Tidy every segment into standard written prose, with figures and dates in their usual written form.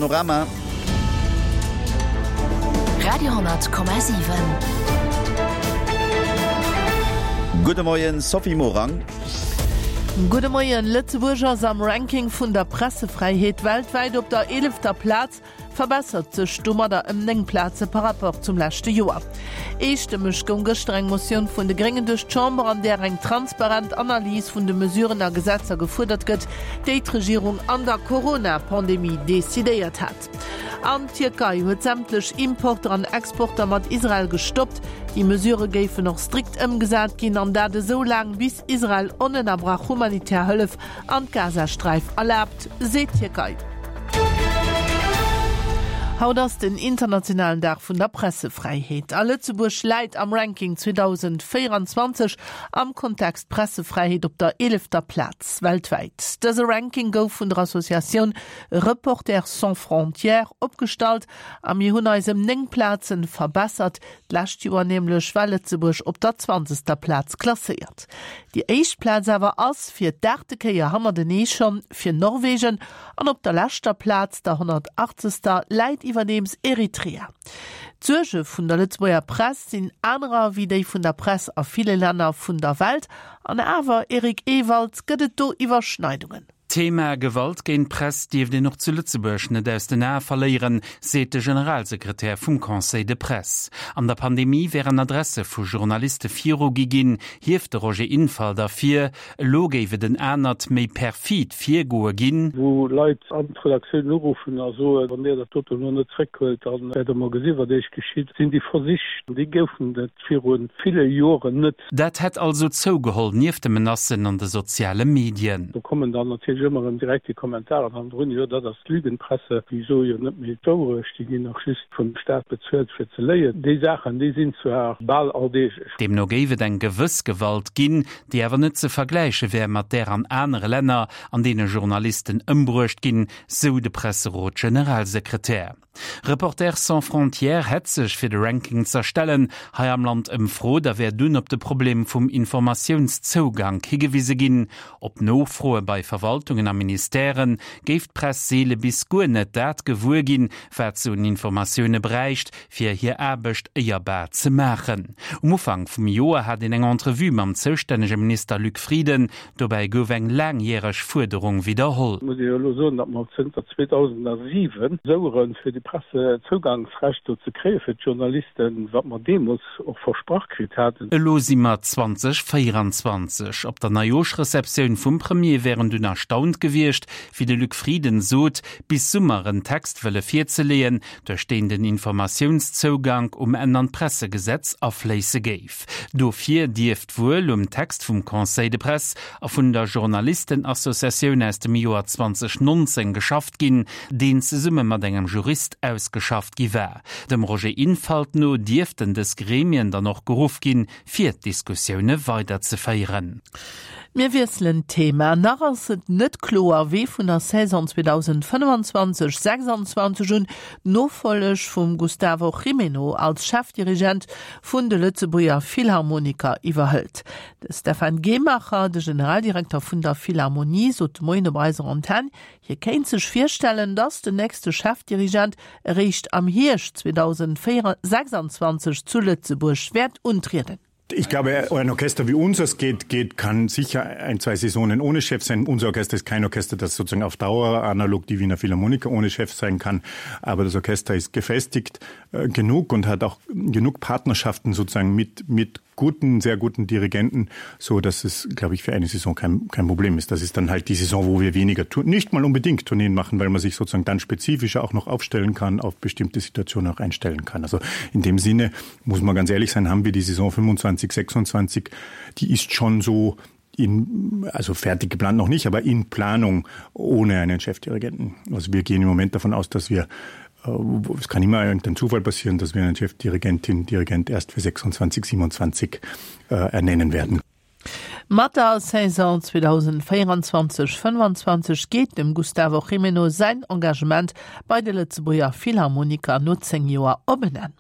Panorama. Radio,7. Gudde Moien, Sophie Morang. Gudde Moien. Lëtzebuerg ass am Ranking vun der Pressefräiheet weltwäit op der eelefter Plaz, verbessert sech domadder ëm 9 Plaze par rapport zum leschte Joer. Eestëmmeg goung gëschter eng Motioun vun de Gréngen duerch d'Chamber, an där eng transparent Analys vun de Mesuren a Gesetzer gefuerdert gëtt, déi d'Regierung an der Corona-Pandemie decidéiert hat. An d'Tierkei huet sämtlech Importer an Exporter mat Israel gestoppt. Déi Mesurë géifen och strikt ëmgesat ginn, an dat esou laang, bis Israel onënnerbrach humanitär Hëllef an d'Gazasträif erlaabt, seet d'Tierkei. Haut ass den internationalen Dag vun der Pressefräiheet. A Lëtzebuerg läit am Ranking 2024 am Kontext Pressefräiheet op der eelefter Plaz weltwäit. Dëse Ranking gouf vun der Associatioun Reporters sans frontières opgestallt a mir hunn eis ëm 9 Plazen verbessert. D'lescht Joer nämlech war Lëtzebuerg op der zwanzegster Plaz klasséiert. Déi éischt Plaz awer ass fir d'aachte Kéier hannertenee schonn fir Norwegen an op der leschter Plaz, der honnertachtzegster, läit iwwerdeems Eritrea. D'Suerge vun der Lëtzebuerger Press sinn anerer wéi déi vun der Press a ville Länner vun der Welt. An awer, Eric Ewald, gëtt et do Iwwerschneidungen? D'Thema Gewalt géint d'Press dierft een och zu Lëtzebuerg net aus den Ae verléieren, seet de Generalsekretär vum Conseil de Presse. An der Pandemie wären Adresse vu Journaliste virugi ginn, hieft de Roger Infalt ervir. Elo géif et en anert, méi perfid Virgoe ginn. Wou Leit an d'Redaktioun uruffen a soen, wann Dir dat doten elo net zréckhuelt, da wäert Der mol gesi wat Iech geschitt, sinn déi Versich, déi goufen et viru ville Joren net. Dat hätt also zougeholl, nieft de Menacen an de soziale Medien. Do kommen dann natierlech ëmmer erëm direkt déi Kommentaren hannendrun, jo dat ass d'Lügenpresse, déi soe jo net méi d'Wourecht, déi ginn och just vum Staat bezuelt fir ze léien. Déi Saachen, déi sinn zwar bal alldeeglech. Deemno géif et eng gewëss Gewalt ginn, déi awer net ze vergläiche wär mat där an anere Länner, an deene Journalisten ëmbruecht ginn, sou de Presserot-Generalsekretär. Reporters sans frontières hätt sech, fir de Ranking z'erstellen, hei am Land ëmfrot a wär dunn op de Problem vum Informatiounszougank higewise ginn. Op Nofroe bei Verwaltungen a Ministèrë géif d'Press seele bis guer net dat gewuer ginn, wat se un Informatioune bräicht, fir hir Aarbecht éierbar ze maachen. Um Ufank vum Joer hat een eng Entrevue mam zoustännege Minister Luc Frieden, Dobäi gouf eng laangjäreg Fuerderung widderholl. Et muss ee jo elo soen, datt mer zënter 2007 soueren, fir déi Pressezougangsrecht do ze kréie fir d'Journalisten, wat mer deemools och versprach kritt haten. Elo si mer 2024. Op der Neijooschreceptioun vum Premier wär en dunn erstaunt gewiescht, wéi de Luc Frieden sot, bis Summer en Text wëlle virzeleeën, duerch deen den Informatiounszougank um Enn an d'Pressegesetz afléisse géif. Dofir dierft wuel um Text vum Conseil de Presse a vun der Journalistenassociatioun aus dem Joer 2019 geschafft ginn, deen zesumme mat engem Jurist ausgeschafft gi war. Dem Roger Infalt no dierften dës Gremien dann och geruff ginn, fir d'Diskussioune weiderzeféieren. Mir wiesselen d'Thema. Nach ass et net kloer, wee vun der Saison 2025, 26 un d'Nofolleg vum Gustavo Gimeno als Chefdirigent vun de Lëtzebuerger Philharmoniker iwwerhëlt. De Stephan Gehmacher, de Generaldirekter vun der Philharmonie, sot de Moien op eiser Antenn, hie kéint sech virstellen, datt den nächste Chefdirigent eréischt am Hierscht 2026 zu Lëtzebuerg wäert untrieden. Ich glaube, ein Orchester wie unseres geht, geht, kann sicher ein, zwei Saisonen ohne Chef sein. Unser Orchester ist kein Orchester, das sozusagen auf Dauer analog die Wiener Philharmoniker ohne Chef sein kann. Aber das Orchester ist gefestigt äh, genug und hat auch genug Partnerschaften sozusagen mit, mit guten, sehr guten Dirigenten, so dass es, glaube ich, für eine Saison kein, kein Problem ist. Das ist dann halt die Saison, wo wir weniger tun, nicht mal unbedingt Tourneen machen, weil man sich sozusagen dann spezifischer auch noch aufstellen kann, auf bestimmte Situationen auch einstellen kann. Also in dem Sinne muss man ganz ehrlich sein, haben wir die Saison 25, 26, die ist schon so in, also fertig geplant noch nicht, aber in Planung ohne einen Chefdirigenten. Also wir gehen im Moment davon aus, dass wir äh, es kann immer irgendein Zufall passieren, dass wir einen Chefdirigentin Dirigent erst für 26 27 äh, ernennen werden. Mat der Saison 2024, 25 geet dem Gustavo Gimeno säin Engagement bei de Lëtzebuerger Philharmoniker no 10 Joer op en Enn.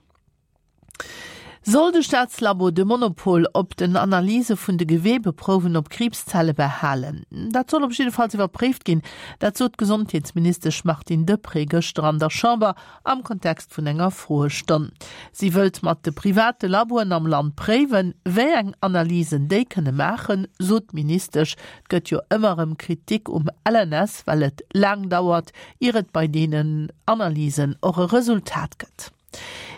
Soll de Staatslabo de Monopol op den Analyse vun de Geweebeprouwen op Kriibszelle behalen? Dat soll op jiddefalls iwwerpréift ginn. Dat sot d'Gesondheetsministesch Martine Deprez gëschter an der Chamber am Kontext vun enger Froestonn. Si wëllt mat de private Laboen am Land préiwen, wéi eng Analysen déi kënne maachen, sot d'Ministesch. Et gëtt jo ëmmer erëm Kritik um LNS, well et laang dauert, ier et bei deenen Analysen och e Resultat gëtt.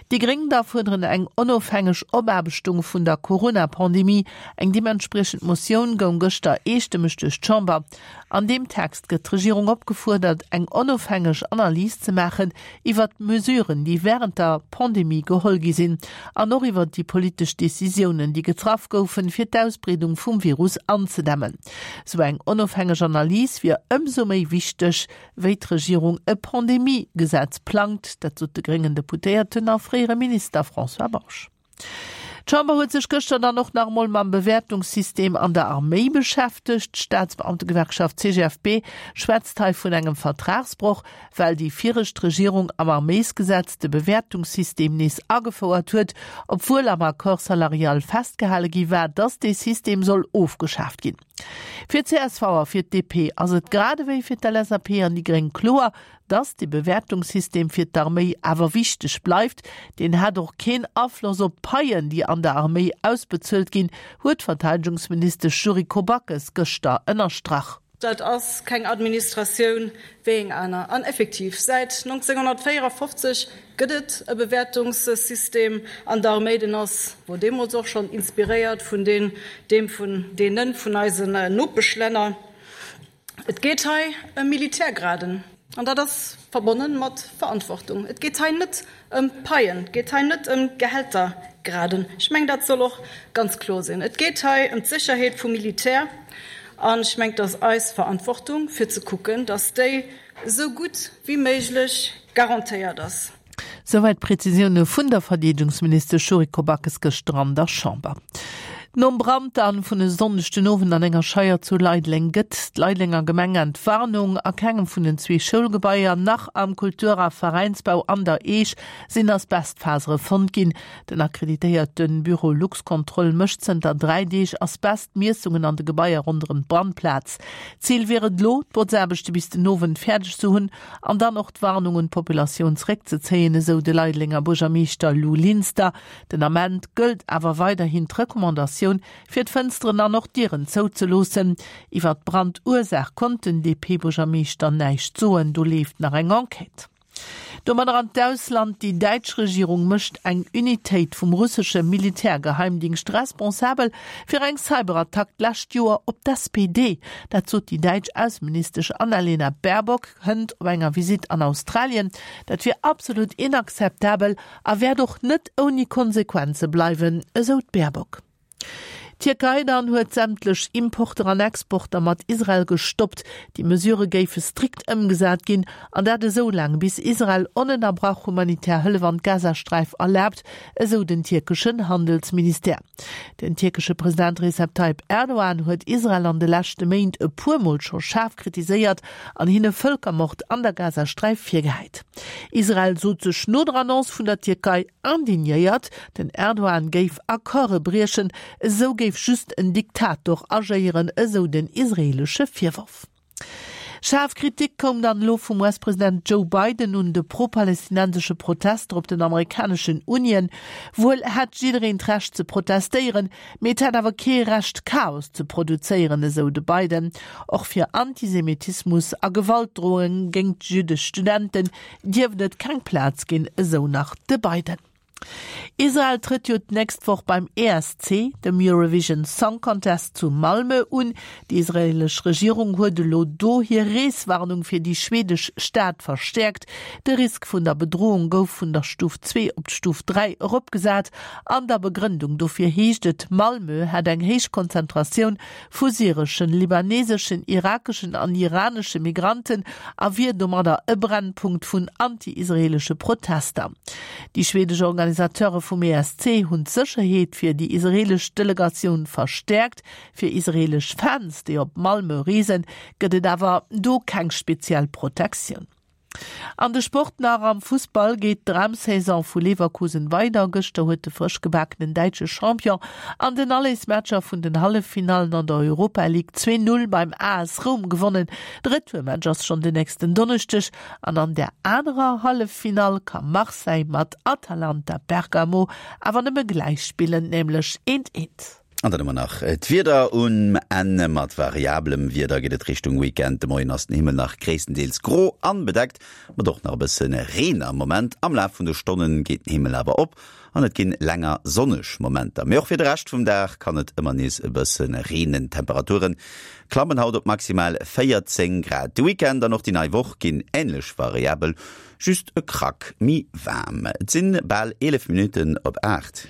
Déi Gréng da fuerderen eng onofhängeg Opaarbechtung vun der Corona-Pandemie. Eng deementspriechend Motioun goung gëschter eestëmmeg duerch d'Chamber. An deem Text gëtt d'Regierung opgefuerdert, eng onofhängeg Analys ze maachen iwwert d'Mesuren, déi wärend der Pandemie geholl gi sinn an och iwwert déi politesch Decisiounen, déi getraff goufen, fir d'Ausbreedung vum Virus anzedämmen. Sou eng onofhängeg Analys wier ëmsou méi wichteg, wéi d'Regierung e Pandemie-Gesetz plangt. Dat sot de gréngen Deputéierten a fréiere Minister François Bausch. D'Chamber huet sech gëschter dann och nach emol mam Bewäertungssystem an der Arméi beschäftegt. D'Staatsbeamtegewerkschaft CGFP schwätzt hei vun engem Vertragsbroch, well déi viregt Regierung am Arméisgesetz de Bewäertungssystem nees agefouert huet, obwuel am Accord salarial festgehale gi war, datt dee System soll ofgeschaaft ginn. Fir csv a fir d'DP ass et grad ewéi fir d'LSAP an déi Gréng kloer, dass de Bewäertungssystem fir d'Arméi awer wichteg bleift. Deen hätt och keen Afloss op d'Paien, déi an der Arméi ausbezuelt ginn, huet d'Verteidegungsministesch Yuriko Backes gëschter ënnerstrach. Dat ass keng Administratioun wéi eng aner. An effektiv, säit 1954 gëtt et e Bewäertungssystem an der Arméi. Deen ass, wor deemools och schonn inspiréiert vun deen, deem vun deene vun eisen Nopeschlänner. Et geet hei ëm Militärgraden. An dat ass verbonne mat Verantwortung. Et geet hei net ëm Paien, et geet hei net ëm Gehältergraden. Ech mengen, dat soll och ganz kloer sinn. Et geet hei ëm d'Sécherheet vum Militär. An ech mengen, et ass eis Verantwortung, fir ze kucken, datt déi esou gutt wéi méiglech garantéiert ass. Souwäit d'Prezisioune vun der Verdeedegungsministesch Yuriko Backes gëschter an der Chamber. Nom Brand dann vun e Sonndeg den Owend an enger Scheier zu Leideleng gëtt d'Leidelenger Gemeng Entwarnung. A kengem vun den zwee Schoulgebaier, nach am Kultur a Veräinsbau an der Eech sinn Asbestfasere fonnt ginn. Den akkreditéierte Büro Luxcontrol mécht zënter 3 Deeg Asbestmiessungen an de Gebaier ronderëm d'Brandplaz. Zil wier et elo, d'Botzaarbechte bis den Owend fäerdeg ze hunn an dann och d'Warnung un d'Populatioun zeréckzezéien, esou de Leidelenger Buergermeeschter Lou Linster. Den Ament gëllt awer weiderhin d'Recommandatioun, fir d'Fënsteren an och d'Dieren zouzeloossen. Iwwer d'Brandursaach konnt den DP-Buergermeeschter näischt soen, do leeft nach eng Enquête. Domadder an d'Ausland, Déi däitsch Regierung mécht eng Unitéit vum russesche Militärgeheimdingscht responsabel fir eng Cyberattack d'lescht Joer op d'SPD. Dat sot déi däitsch Ausseministesch Annalena Baerbock hënt op enger Visitt an Australien. Dat wier absolut inakzeptabel a wäert och net ouni Konsequenze bleiwen, esou d'Baerbock. D'Tierkei dann huet sämtlech Importer an Exporter mat Israel gestoppt. Déi Mesure géife strikt ëmgesat ginn, an dat esou laang, bis Israel onënnerbrach humanitär Hëllef an d'Gazasträif erlaabt, esou den tierkeschen Handelsministère. Den tierkesche President Recep Tayyip Erdogan huet Israel an de leschte Méint e puer Mol scho schaarf kritiséiert an hinne Vëlkermord an der Gazasträif virgehäit. Israel sot sech no der Annonce vun der Tierkei indignéiert, den Erdogan géif Accorde briechen, esou géif just en Diktator agéieren, esou den israeelesche Virworf. Schaarf Kritik koum dann elo vum US-President Joe Biden un de pro-palästinensesche Protester op den amerikaneschen Unien. Wuel hätt jiddereen d'Recht ze protestéieren, mee et hätt awer kee Recht Chaos ze produzéieren, esou de Biden. Och fir Antisemitismus a Gewaltdrohunge géingt jüddesch Studenten dierft et keng Plaz ginn, esou nach de Biden. Israel trëtt jo d'nächst Woch beim ESC, dem Eurovision Song Contest zu Malmö un. Déi israeelesch Regierung huet elo do hir Reeswarnung fir déi schweedesch Stad verstäerkt. De Risk vun der Bedroung gouf vun der Stuf 2 op d'Stuf 3 eropgesat. An der Begrëndung dofir heescht et, Malmö hätt eng héich Konzentratioun vu syreschen, libaneseschen, irakeschen an iranesche Migranten a wier domadder e Brennpunkt vun anti-israeelesche Protester. Déi schwedesch Organisateure vum ESC hunn d'Sécherheet fir déi israeelesch Delegatioun verstäerkt. Fir israeelesch Fans, déi op Malmö reesen, gëtt et awer do keng speziell Protektioun. An de Sport nach, Am Fussball geet d'Dramsaison vu Leverkusen weider. Gëschter huet de frësch gebakenen däitsche Champion an den Allesmatcher vun den Halleffinallen an der Europa League 2, 0 beim AS Roum gewonnen. De Retourmatch ass schonn den nächsten Donneschdeg an an der anerer Halleffinall ka Marseille mat Atalanta Bergamo awer nëmme gläich spillen, nämlech eent, eent. An dann hu mer nach d'Wieder um Enn. Mat variabelem Wieder geet et Richtung Weekend. De Moien ass den Himmel nach gréisstendeels gro an bedeckt, mat och nach e bësse Reen am Moment. Am Laf vun de Stonne geet den Himmel awer op an et ginn länger sonneg Momenter. Mee och fir de Rescht vum Dag kann et ëmmer nees e bësse reenen. D'Temperature klammen haut op maximal 14 Grad. De Weekend an och déi nei Woch ginn änlech variabel, just e Krack méi waarm. Et sinn bal 11 Minutten op 8.